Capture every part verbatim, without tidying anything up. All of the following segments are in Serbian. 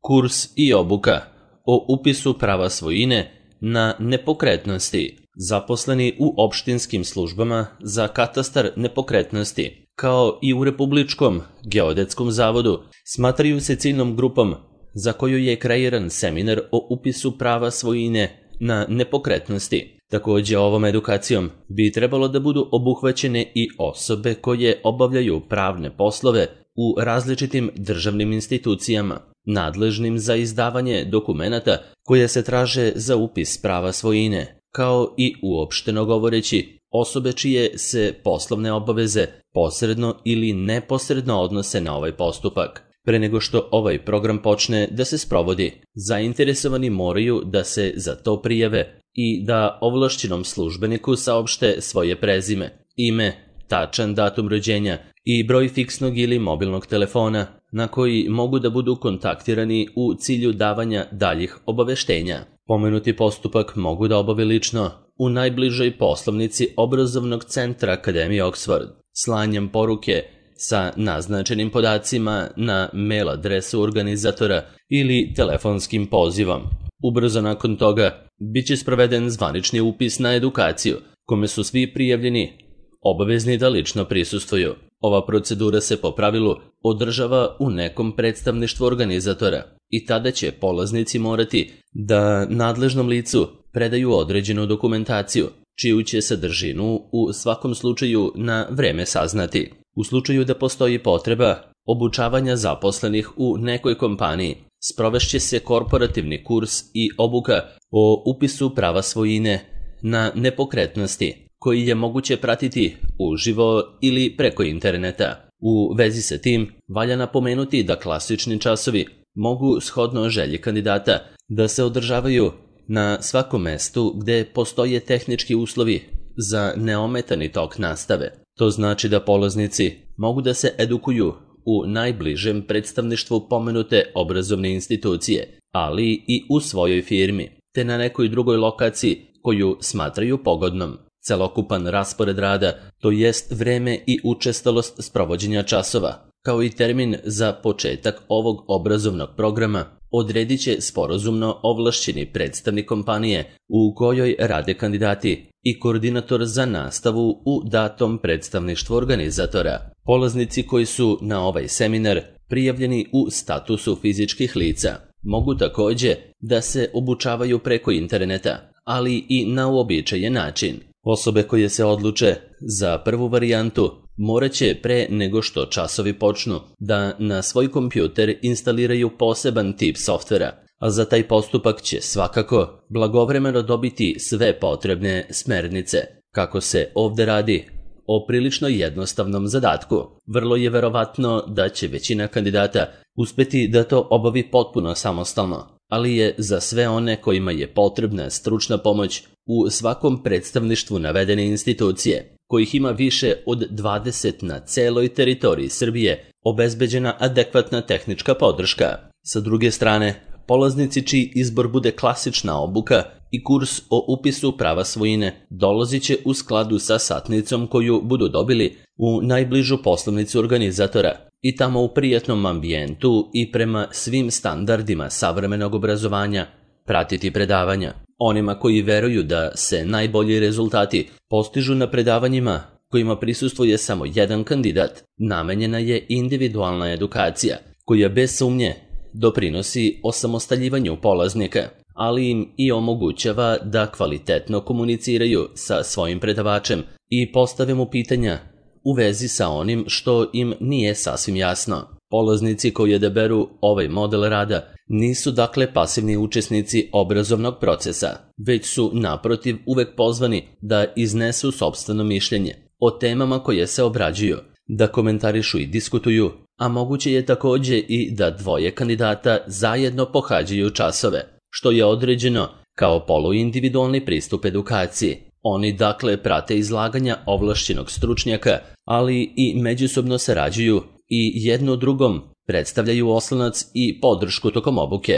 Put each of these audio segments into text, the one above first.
Kurs i obuka o upisu prava svojine na nepokretnosti. Zaposleni u opštinskim službama za katastar nepokretnosti, kao i u Republičkom geodetskom zavodu, smatraju se ciljnom grupom za koju je kreiran seminar o upisu prava svojine na nepokretnosti. Također ovom edukacijom bi trebalo da budu obuhvaćene i osobe koje obavljaju pravne poslove u različitim državnim institucijama, nadležnim za izdavanje dokumenata koje se traže za upis prava svojine, kao i uopšteno govoreći osobe čije se poslovne obaveze posredno ili neposredno odnose na ovaj postupak. Pre nego što ovaj program počne da se sprovodi, zainteresovani moraju da se za to prijave i da ovlašćenom službeniku saopšte svoje prezime, ime, tačan datum rođenja i broj fiksnog ili mobilnog telefona na koji mogu da budu kontaktirani u cilju davanja daljih obaveštenja. Pomenuti postupak mogu da obave lično u najbližoj poslovnici obrazovnog centra Akademije Oxford, slanjem poruke sa naznačenim podacima na mail adresu organizatora ili telefonskim pozivom. Ubrzo nakon toga biće sproveden zvanični upis na edukaciju, kome su svi prijavljeni obavezni da lično prisustvuju. Ova procedura se po pravilu održava u nekom predstavništvu organizatora i tada će polaznici morati da nadležnom licu predaju određenu dokumentaciju, čiju će sadržinu u svakom slučaju na vreme saznati. U slučaju da postoji potreba obučavanja zaposlenih u nekoj kompaniji, sprovešće se korporativni kurs i obuka o upisu prava svojine na nepokretnosti, koji je moguće pratiti uživo ili preko interneta. U vezi sa tim, valja napomenuti da klasični časovi mogu, shodno želji kandidata, da se održavaju na svakom mestu gde postoje tehnički uslovi za neometani tok nastave. To znači da polaznici mogu da se edukuju u najbližem predstavništvu pomenute obrazovne institucije, ali i u svojoj firmi, te na nekoj drugoj lokaciji koju smatraju pogodnom. Celokupan raspored rada, to jest vreme i učestalost sprovođenja časova, kao i termin za početak ovog obrazovnog programa, odredit će sporazumno ovlašćeni predstavnik kompanije u kojoj rade kandidati i koordinator za nastavu u datom predstavništvu organizatora. Polaznici koji su na ovaj seminar prijavljeni u statusu fizičkih lica mogu također da se obučavaju preko interneta, ali i na uobičajen način. Osobe koje se odluče za prvu varijantu morat će pre nego što časovi počnu da na svoj kompjuter instaliraju poseban tip softvera, a za taj postupak će svakako blagovremeno dobiti sve potrebne smernice. Kako se ovde radi o prilično jednostavnom zadatku, vrlo je verovatno da će većina kandidata uspeti da to obavi potpuno samostalno, ali je za sve one kojima je potrebna stručna pomoć u svakom predstavništvu navedene institucije, kojih ima više od dvadeset na celoj teritoriji Srbije, obezbeđena adekvatna tehnička podrška. Sa druge strane, polaznici čiji izbor bude klasična obuka i kurs o upisu prava svojine dolazit će u skladu sa satnicom koju budu dobili u najbližu poslovnicu organizatora i tamo u prijatnom ambijentu i prema svim standardima savremenog obrazovanja pratiti predavanja. Onima koji veruju da se najbolji rezultati postižu na predavanjima kojima prisustvuje samo jedan kandidat, namenjena je individualna edukacija koja bez sumnje doprinosi osamostaljivanju polaznika, ali im i omogućava da kvalitetno komuniciraju sa svojim predavačem i postave mu pitanja u vezi sa onim što im nije sasvim jasno. Polaznici koji odaberu ovaj model rada nisu dakle pasivni učesnici obrazovnog procesa, već su naprotiv uvek pozvani da iznesu sopstveno mišljenje o temama koje se obrađuju, da komentarišu i diskutuju, a moguće je također i da dvoje kandidata zajedno pohađaju časove, što je određeno kao poluindividualni pristup edukaciji. Oni dakle prate izlaganja ovlašćenog stručnjaka, ali i međusobno sarađuju i jedno drugom predstavljaju oslonac i podršku tokom obuke.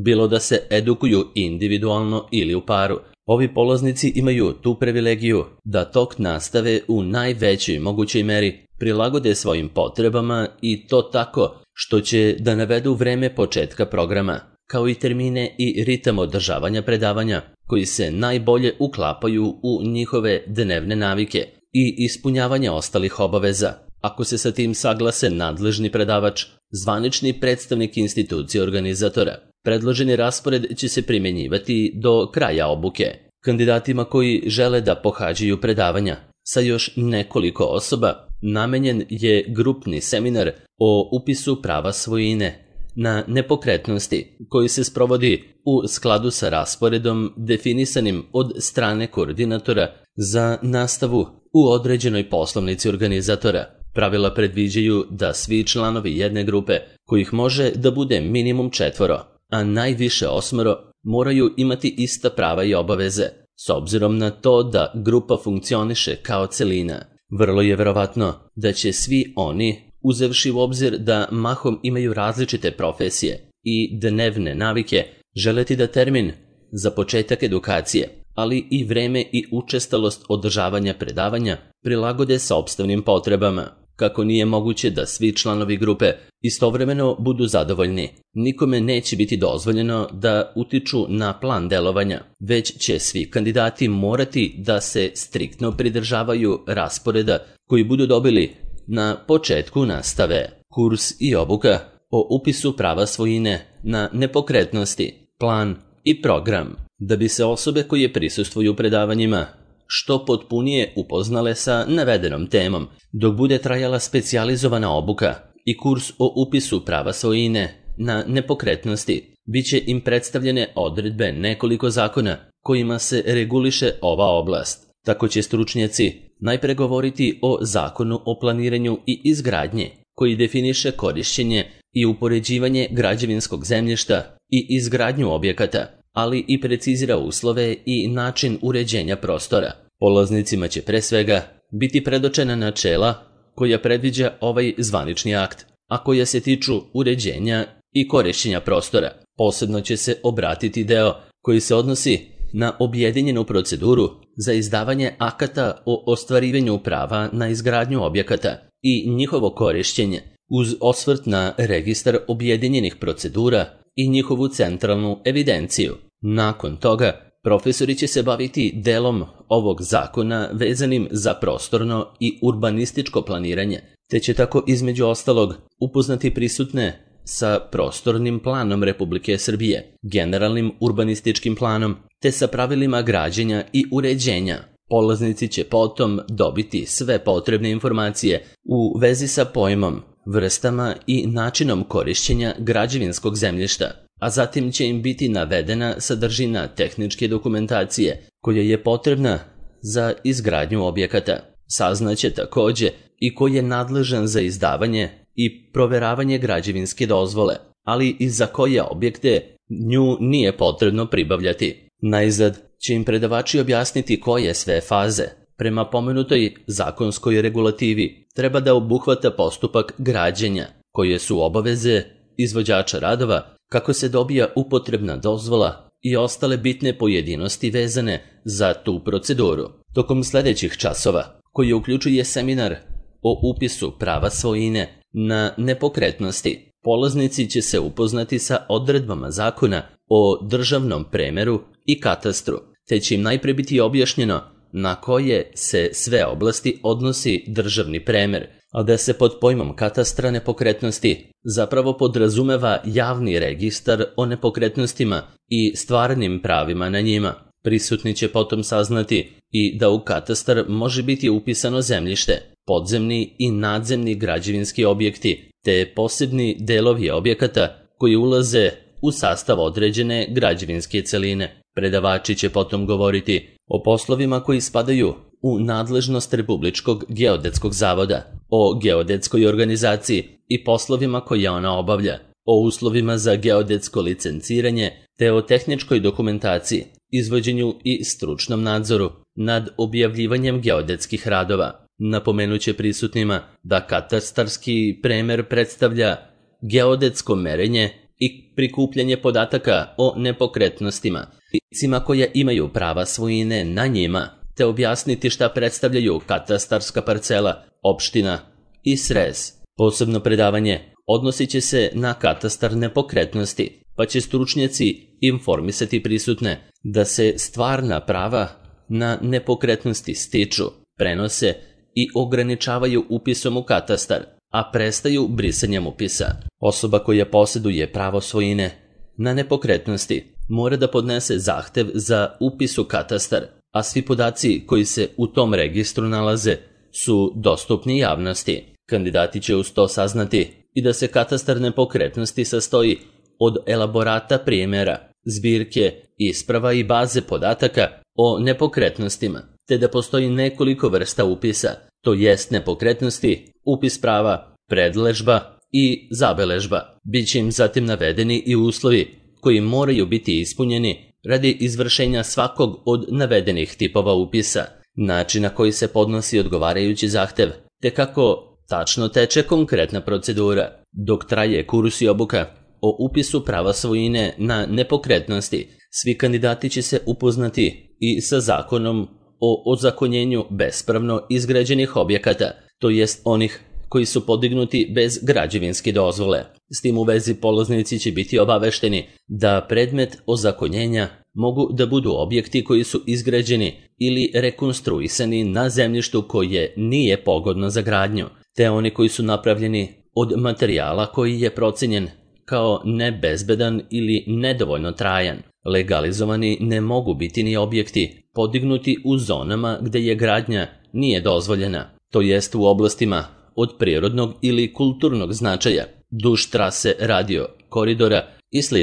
Bilo da se edukuju individualno ili u paru, ovi polaznici imaju tu privilegiju da tok nastave u najvećoj mogućoj meri prilagode svojim potrebama i to tako što će da navedu vreme početka programa, kao i termine i ritam održavanja predavanja, koji se najbolje uklapaju u njihove dnevne navike i ispunjavanje ostalih obaveza. Ako se sa tim saglase nadležni predavač, zvanični predstavnik institucije organizatora, predloženi raspored će se primjenjivati do kraja obuke. Kandidatima koji žele da pohađaju predavanja sa još nekoliko osoba, namenjen je grupni seminar o upisu prava svojine na nepokretnosti, koji se sprovodi u skladu sa rasporedom definisanim od strane koordinatora za nastavu u određenoj poslovnici organizatora. Pravila predviđaju da svi članovi jedne grupe, kojih može da bude minimum četvoro, a najviše osmoro, moraju imati ista prava i obaveze, s obzirom na to da grupa funkcioniše kao celina. Vrlo je verovatno da će svi oni, uzevši u obzir da mahom imaju različite profesije i dnevne navike, želeti da termin za početak edukacije, ali i vreme i učestalost održavanja predavanja prilagode sopstvenim potrebama. Kako nije moguće da svi članovi grupe istovremeno budu zadovoljni, nikome neće biti dozvoljeno da utiču na plan delovanja, već će svi kandidati morati da se striktno pridržavaju rasporeda koji budu dobili na početku nastave. Kurs i obuka o upisu prava svojine na nepokretnosti, plan i program. Da bi se osobe koje prisustvuju predavanjima što potpunije upoznale sa navedenom temom, dok bude trajala specijalizovana obuka i kurs o upisu prava svojine na nepokretnosti, bit će im predstavljene odredbe nekoliko zakona kojima se reguliše ova oblast. Tako će stručnjaci najpre govoriti o Zakonu o planiranju i izgradnji, koji definiše korišćenje i upoređivanje građevinskog zemljišta i izgradnju objekata, ali i precizira uslove i način uređenja prostora. Polaznicima će pre svega biti predočena načela koja predviđa ovaj zvanični akt, a koja se tiču uređenja i korišćenja prostora. Posebno će se obratiti deo koji se odnosi na objedinjenu proceduru za izdavanje akata o ostvarivanju prava na izgradnju objekata i njihovo korišćenje, uz osvrt na registar objedinjenih procedura i njihovu centralnu evidenciju. Nakon toga, profesori će se baviti delom ovog zakona vezanim za prostorno i urbanističko planiranje, te će tako između ostalog upoznati prisutne sa prostornim planom Republike Srbije, generalnim urbanističkim planom, te sa pravilima građenja i uređenja. Polaznici će potom dobiti sve potrebne informacije u vezi sa pojmom, vrstama i načinom korišćenja građevinskog zemljišta, a zatim će im biti navedena sadržina tehničke dokumentacije koja je potrebna za izgradnju objekata. Saznaće takođe i ko je nadležan za izdavanje i proveravanje građevinske dozvole, ali i za koje objekte nju nije potrebno pribavljati. Najzad će im predavači objasniti koje sve faze, prema pomenutoj zakonskoj regulativi, treba da obuhvata postupak građenja, koje su obaveze izvođača radova, kako se dobija upotrebna dozvola i ostale bitne pojedinosti vezane za tu proceduru. Tokom sledećih časova, koji uključuje seminar o upisu prava svojine na nepokretnosti, polaznici će se upoznati sa odredbama zakona o državnom premeru i katastru, te će im najpre biti objašnjeno na koje se sve oblasti odnosi državni premer, a da se pod pojmom katastra nepokretnosti zapravo podrazumeva javni registar o nepokretnostima i stvarnim pravima na njima. Prisutni će potom saznati i da u katastar može biti upisano zemljište, podzemni i nadzemni građevinski objekti, te posebni delovi objekata koji ulaze u sastav određene građevinske celine. Predavači će potom govoriti o poslovima koji spadaju u nadležnost Republičkog geodetskog zavoda, o geodetskoj organizaciji i poslovima koje ona obavlja, o uslovima za geodetsko licenciranje, te o tehničkoj dokumentaciji, izvođenju i stručnom nadzoru nad objavljivanjem geodetskih radova. Napomenuće prisutnima da katastarski premer predstavlja geodetsko merenje i prikupljanje podataka o nepokretnostima, licima koja imaju prava svojine na njima, te objasniti šta predstavljaju katastarska parcela, opština i srez. Posebno predavanje odnosit će se na katastar nepokretnosti, pa će stručnjaci informisati prisutne da se stvarna prava na nepokretnosti stiču, prenose i ograničavaju upisom u katastar, a prestaju brisanjem upisa. Osoba koja posjeduje pravo svojine na nepokretnosti mora da podnese zahtev za upis u katastar, a svi podaci koji se u tom registru nalaze su dostupni javnosti. Kandidati će uz to saznati i da se katastar nepokretnosti sastoji od elaborata primjera, zbirke, isprava i baze podataka o nepokretnostima, te da postoji nekoliko vrsta upisa, to jest nepokretnosti, upis prava, predležba i zabeležba. Biće im zatim navedeni i uslovi koji moraju biti ispunjeni radi izvršenja svakog od navedenih tipova upisa, način na koji se podnosi odgovarajući zahtev, te kako tačno teče konkretna procedura. Dok traje kurs i obuka o upisu prava svojine na nepokretnosti, svi kandidati će se upoznati i sa zakonom o ozakonjenju bespravno izgrađenih objekata, to jest onih koji su podignuti bez građevinske dozvole. S tim u vezi polaznici će biti obavešteni da predmet ozakonjenja mogu da budu objekti koji su izgrađeni ili rekonstruisani na zemljištu koje nije pogodno za gradnju, te oni koji su napravljeni od materijala koji je procenjen kao nebezbedan ili nedovoljno trajan. Legalizovani ne mogu biti ni objekti podignuti u zonama gde je gradnja nije dozvoljena, to jest u oblastima od prirodnog ili kulturnog značaja, duž trase radio, koridora i sl.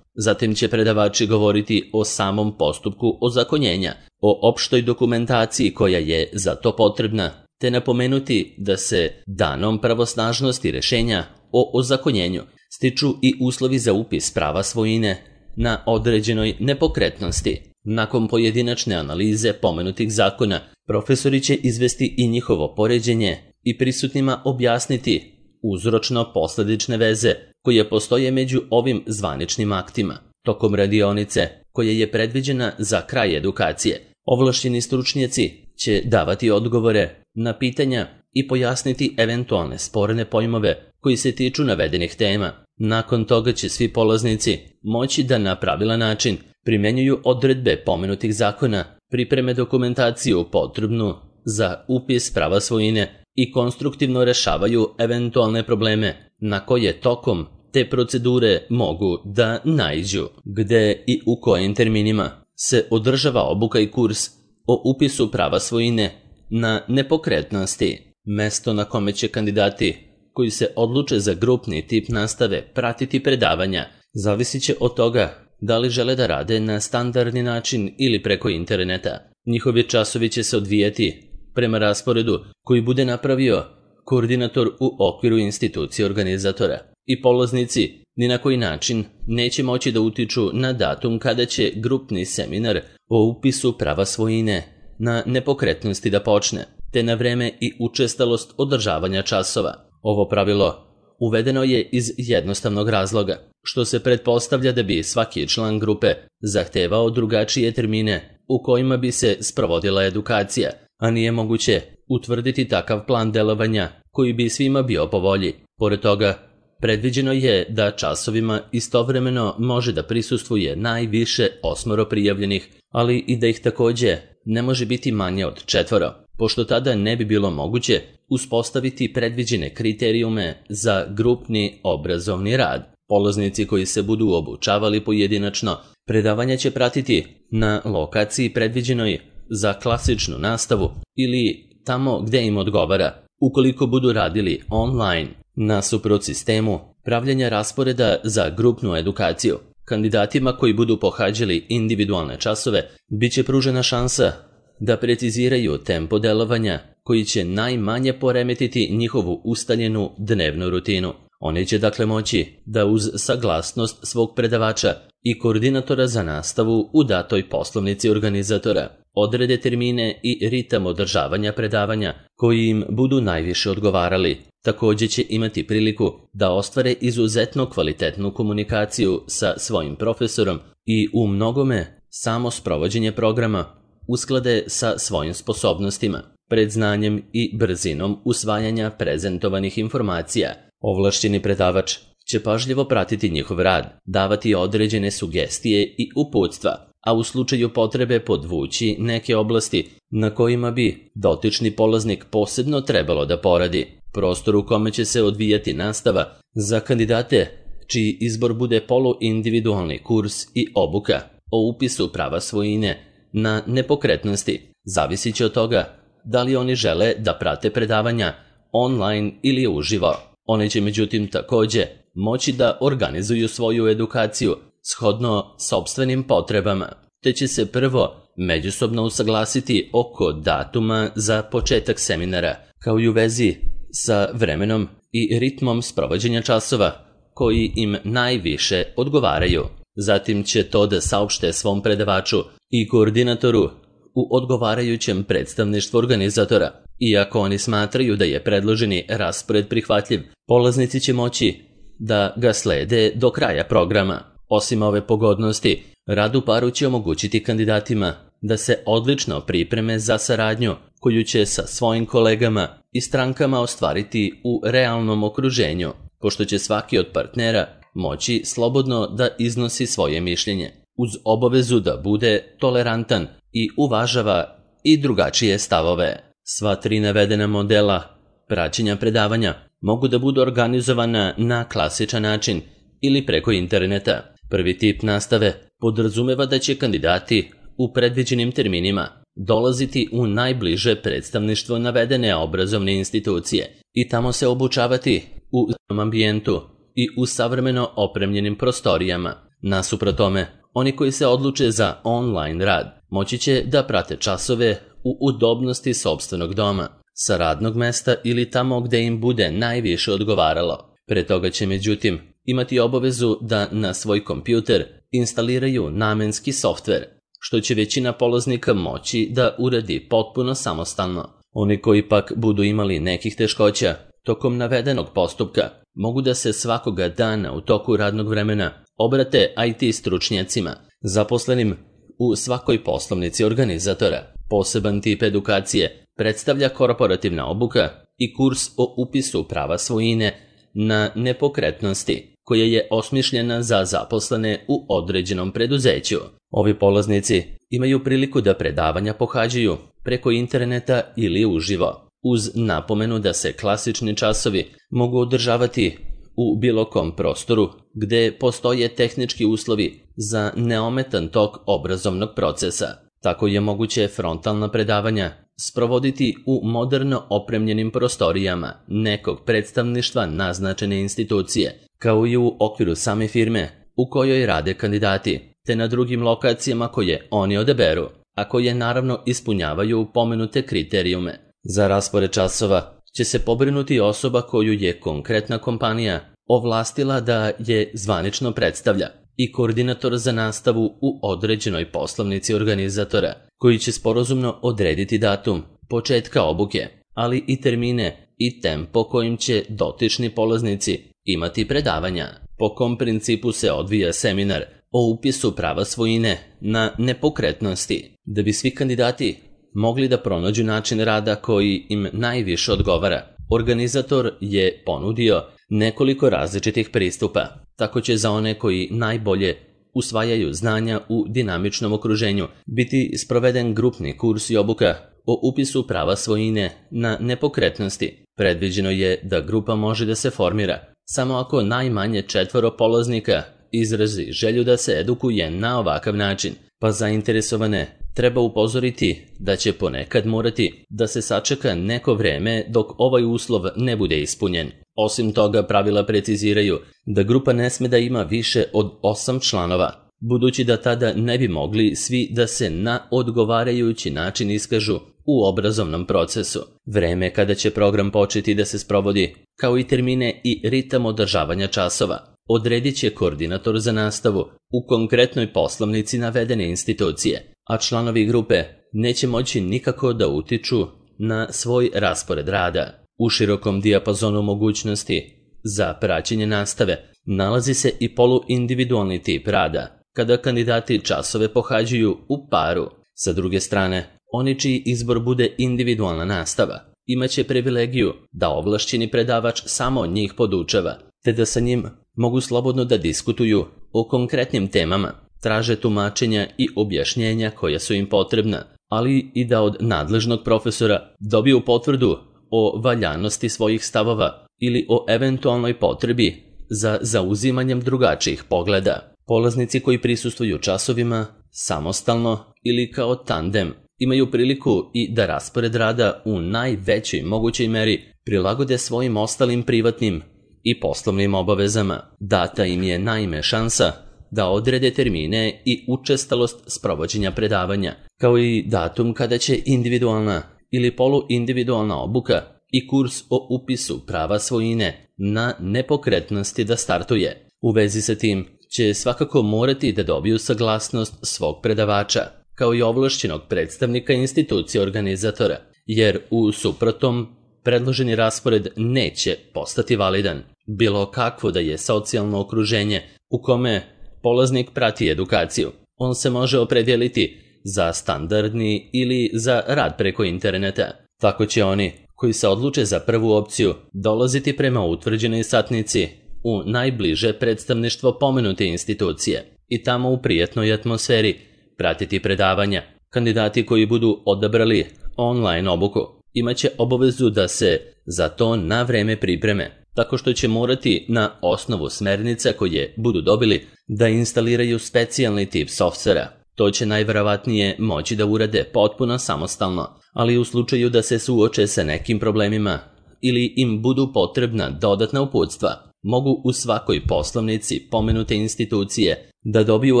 Zatim će predavači govoriti o samom postupku ozakonjenja, o opštoj dokumentaciji koja je za to potrebna, te napomenuti da se danom pravosnažnosti rešenja o ozakonjenju stiču i uslovi za upis prava svojine na određenoj nepokretnosti. Nakon pojedinačne analize pomenutih zakona, profesori će izvesti i njihovo poređenje i prisutnima objasniti uzročno-posledične veze koje postoje među ovim zvaničnim aktima. Tokom radionice, koja je predviđena za kraj edukacije, ovlašćeni stručnjaci će davati odgovore na pitanja i pojasniti eventualne sporne pojmove koji se tiču navedenih tema. Nakon toga će svi polaznici moći da na pravilan način primjenjuju odredbe pomenutih zakona, pripreme dokumentaciju potrebnu za upis prava svojine i konstruktivno rešavaju eventualne probleme na koje tokom te procedure mogu da naiđu. Gde i u kojim terminima se održava obuka i kurs o upisu prava svojine na nepokretnosti. Mesto na kome će kandidati koji se odluče za grupni tip nastave pratiti predavanja zavisit će od toga da li žele da rade na standardni način ili preko interneta. Njihovi časovi će se odvijati prema rasporedu koji bude napravio koordinator u okviru institucije organizatora i polaznici ni na koji način neće moći da utiču na datum kada će grupni seminar o upisu prava svojine na nepokretnosti da počne, te na vreme i učestalost održavanja časova. Ovo pravilo uvedeno je iz jednostavnog razloga, što se pretpostavlja da bi svaki član grupe zahtevao drugačije termine u kojima bi se sprovodila edukacija, a nije moguće utvrditi takav plan delovanja koji bi svima bio po volji. Pored toga, predviđeno je da časovima istovremeno može da prisustvuje najviše osmoro prijavljenih, ali i da ih takođe ne može biti manje od četvoro, pošto tada ne bi bilo moguće uspostaviti predviđene kriterijume za grupni obrazovni rad. Polaznici koji se budu obučavali pojedinačno, predavanja će pratiti na lokaciji predviđenoj za klasičnu nastavu ili tamo gde im odgovara. Ukoliko budu radili online, nasuprot sistemu pravljenja rasporeda za grupnu edukaciju, kandidatima koji budu pohađali individualne časove bit će pružena šansa da preciziraju tempo delovanja koji će najmanje poremetiti njihovu ustaljenu dnevnu rutinu. Oni će dakle moći da uz saglasnost svog predavača i koordinatora za nastavu u datoj poslovnici organizatora odrede termine i ritam održavanja predavanja koji im budu najviše odgovarali. Takođe će imati priliku da ostvare izuzetno kvalitetnu komunikaciju sa svojim profesorom i u mnogome samo sprovođenje programa usklade sa svojim sposobnostima, predznanjem i brzinom usvajanja prezentovanih informacija. Ovlašćeni predavač će pažljivo pratiti njihov rad, davati određene sugestije i uputstva, a u slučaju potrebe podvući neke oblasti na kojima bi dotični polaznik posebno trebalo da poradi. Prostor u kome će se odvijati nastava za kandidate čiji izbor bude poluindividualni kurs i obuka o upisu prava svojine na nepokretnosti zavisit će od toga da li oni žele da prate predavanja online ili uživo. Oni će međutim takođe moći da organizuju svoju edukaciju shodno sopstvenim potrebama, te će se prvo međusobno usaglasiti oko datuma za početak seminara, kao i u vezi sa vremenom i ritmom sprovođenja časova koji im najviše odgovaraju. Zatim će to da saopšte svom predavaču i koordinatoru u odgovarajućem predstavništvu organizatora. Iako oni smatraju da je predloženi raspored prihvatljiv, polaznici će moći da ga slede do kraja programa. Osim ove pogodnosti, rad u paru će omogućiti kandidatima da se odlično pripreme za saradnju koju će sa svojim kolegama i strankama ostvariti u realnom okruženju, pošto će svaki od partnera moći slobodno da iznosi svoje mišljenje, uz obavezu da bude tolerantan i uvažava i drugačije stavove. Sva tri navedena modela praćenja predavanja mogu da budu organizovana na klasičan način ili preko interneta. Prvi tip nastave podrazumeva da će kandidati u predviđenim terminima dolaziti u najbliže predstavništvo navedene obrazovne institucije i tamo se obučavati u ambijentu i u savremeno opremljenim prostorijama. Nasuprot tome, oni koji se odluče za online rad moći će da prate časove u udobnosti sopstvenog doma, sa radnog mesta ili tamo gde im bude najviše odgovaralo. Pre toga će međutim imati obavezu da na svoj kompjuter instaliraju namenski softver, što će većina polaznika moći da uradi potpuno samostalno. Oni koji pak budu imali nekih teškoća tokom navedenog postupka mogu da se svakoga dana u toku radnog vremena obrate I T stručnjacima, zaposlenim u svakoj poslovnici organizatora. Poseban tip edukacije predstavlja korporativna obuka i kurs o upisu prava svojine na nepokretnosti, koja je osmišljena za zaposlene u određenom preduzeću. Ovi polaznici imaju priliku da predavanja pohađaju preko interneta ili uživo, uz napomenu da se klasični časovi mogu održavati u bilo kom prostoru gde postoje tehnički uslovi za neometan tok obrazovnog procesa. Tako je moguće frontalna predavanja sprovoditi u moderno opremljenim prostorijama nekog predstavništva naznačene institucije, kao i u okviru same firme u kojoj rade kandidati, te na drugim lokacijama koje oni odaberu, a koje naravno ispunjavaju pomenute kriterijume. Za raspored časova će se pobrinuti osoba koju je konkretna kompanija ovlastila da je zvanično predstavlja i koordinator za nastavu u određenoj poslovnici organizatora, koji će sporazumno odrediti datum početka obuke, ali i termine i tempo kojim će dotični polaznici imati predavanja. Po kom principu se odvija seminar o upisu prava svojine na nepokretnosti, da bi svi kandidati mogli da pronađu način rada koji im najviše odgovara. Organizator je ponudio nekoliko različitih pristupa. Tako će za one koji najbolje usvajaju znanja u dinamičnom okruženju biti sproveden grupni kurs i obuka o upisu prava svojine na nepokretnosti. Predviđeno je da grupa može da se formira samo ako najmanje četvoro polaznika izrazi želju da se edukuje na ovakav način, pa zainteresovane treba upozoriti da će ponekad morati da se sačeka neko vreme dok ovaj uslov ne bude ispunjen. Osim toga, pravila preciziraju da grupa ne sme da ima više od osam članova, budući da tada ne bi mogli svi da se na odgovarajući način iskažu u obrazovnom procesu. Vreme kada će program početi da se sprovodi, kao i termine i ritam održavanja časova, odredit će koordinator za nastavu u konkretnoj poslovnici navedene institucije, a članovi grupe neće moći nikako da utiču na svoj raspored rada. U širokom dijapazonu mogućnosti za praćenje nastave nalazi se i poluindividualni tip rada, kada kandidati časove pohađaju u paru. Sa druge strane, oni čiji izbor bude individualna nastava, imaće privilegiju da ovlašćeni predavač samo njih podučava, te da sa njim mogu slobodno da diskutuju o konkretnim temama, traže tumačenja i objašnjenja koja su im potrebna, ali i da od nadležnog profesora dobiju potvrdu o valjanosti svojih stavova ili o eventualnoj potrebi za zauzimanjem drugačijih pogleda. Polaznici koji prisustvuju časovima samostalno ili kao tandem imaju priliku i da raspored rada u najvećoj mogućoj meri prilagode svojim ostalim privatnim i poslovnim obavezama. Data im je naime šansa da odrede termine i učestalost sprovođenja predavanja, kao i datum kada će individualna ili poluindividualna obuka i kurs o upisu prava svojine na nepokretnosti da startuje. U vezi sa tim će svakako morati da dobiju saglasnost svog predavača, kao i ovlašćenog predstavnika institucije organizatora, jer u suprotnom predloženi raspored neće postati validan. Bilo kakvo da je socijalno okruženje u kome polaznik prati edukaciju, on se može opredijeliti za standardni ili za rad preko interneta. Tako će oni koji se odluče za prvu opciju dolaziti prema utvrđenoj satnici u najbliže predstavništvo pomenute institucije i tamo u prijatnoj atmosferi pratiti predavanja. Kandidati koji budu odabrali online obuku imaće obavezu da se za to na vreme pripreme, tako što će morati na osnovu smernica koje budu dobili da instaliraju specijalni tip softvera. To će najverovatnije moći da urade potpuno samostalno, ali u slučaju da se suoče sa nekim problemima ili im budu potrebna dodatna uputstva, mogu u svakoj poslovnici pomenute institucije da dobiju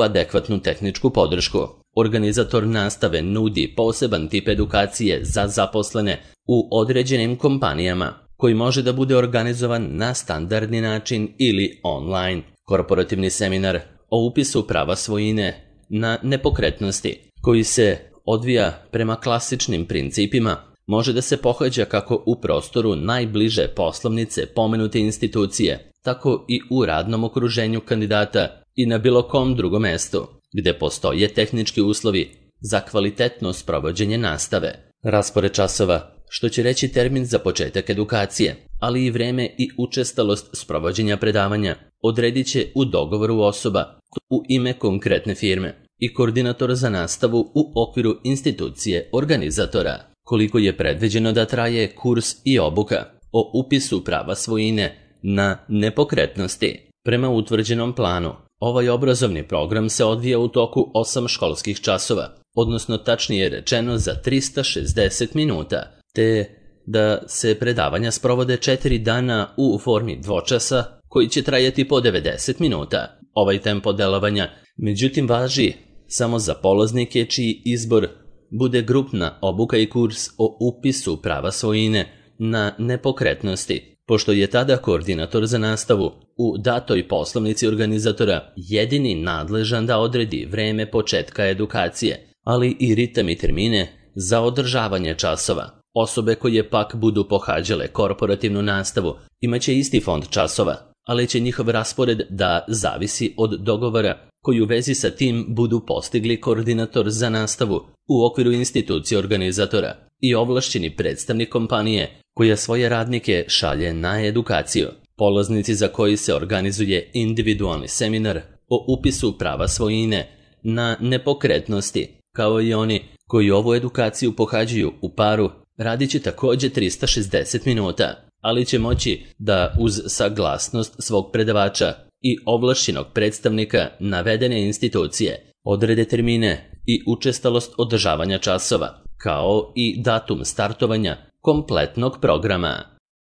adekvatnu tehničku podršku. Organizator nastave nudi poseban tip edukacije za zaposlene u određenim kompanijama, koji može da bude organizovan na standardni način ili online. Korporativni seminar o upisu prava svojine na nepokretnosti, koji se odvija prema klasičnim principima, može da se pohađa kako u prostoru najbliže poslovnice pomenute institucije, tako i u radnom okruženju kandidata i na bilo kom drugom mestu, gde postoje tehnički uslovi za kvalitetno sprovođenje nastave. Raspored časova, što će reći termin za početak edukacije, ali i vreme i učestalost sprovođenja predavanja, odredit će u dogovoru osoba u ime konkretne firme i koordinator za nastavu u okviru institucije organizatora. Koliko je predviđeno da traje kurs i obuka o upisu prava svojine na nepokretnosti? Prema utvrđenom planu, ovaj obrazovni program se odvija u toku osam školskih časova, odnosno tačnije rečeno za trista šezdeset minuta, te da se predavanja sprovode četiri dana u formi dvočasa koji će trajati po devedeset minuta. Ovaj tempo delovanja međutim važi samo za polaznike čiji izbor bude grupna obuka i kurs o upisu prava svojine na nepokretnosti, pošto je tada koordinator za nastavu u datoj poslovnici organizatora jedini nadležan da odredi vreme početka edukacije, ali i ritam i termine za održavanje časova. Osobe koje pak budu pohađale korporativnu nastavu imaće isti fond časova, ali će njihov raspored da zavisi od dogovora koji u vezi sa tim budu postigli koordinator za nastavu u okviru institucije organizatora i ovlašćeni predstavnik kompanije koja svoje radnike šalje na edukaciju. Polaznici za koji se organizuje individualni seminar o upisu prava svojine na nepokretnosti, kao i oni koji ovu edukaciju pohađaju u paru, radit će također trista šezdeset minuta, ali će moći da uz saglasnost svog predavača i ovlašćenog predstavnika navedene institucije odrede termine i učestalost održavanja časova, kao i datum startovanja kompletnog programa.